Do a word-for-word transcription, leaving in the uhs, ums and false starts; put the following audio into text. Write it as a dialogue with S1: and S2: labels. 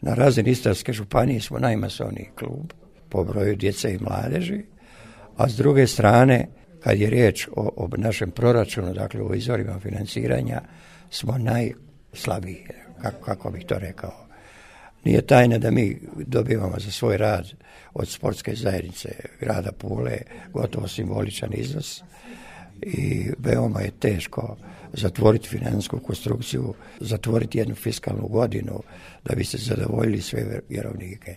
S1: Na razini Istarske županije smo najmasovniji klub po broju djece i mladeži, a s druge strane, kad je riječ o, o našem proračunu, dakle o izvorima financiranja, smo najslabiji, kako, kako bih to rekao. Nije tajna da mi dobivamo za svoj rad od sportske zajednice grada Pule gotovo simboličan iznos i veoma je teško zatvoriti financijsku konstrukciju, zatvoriti jednu fiskalnu godinu da bi se zadovoljili sve vjerovnike.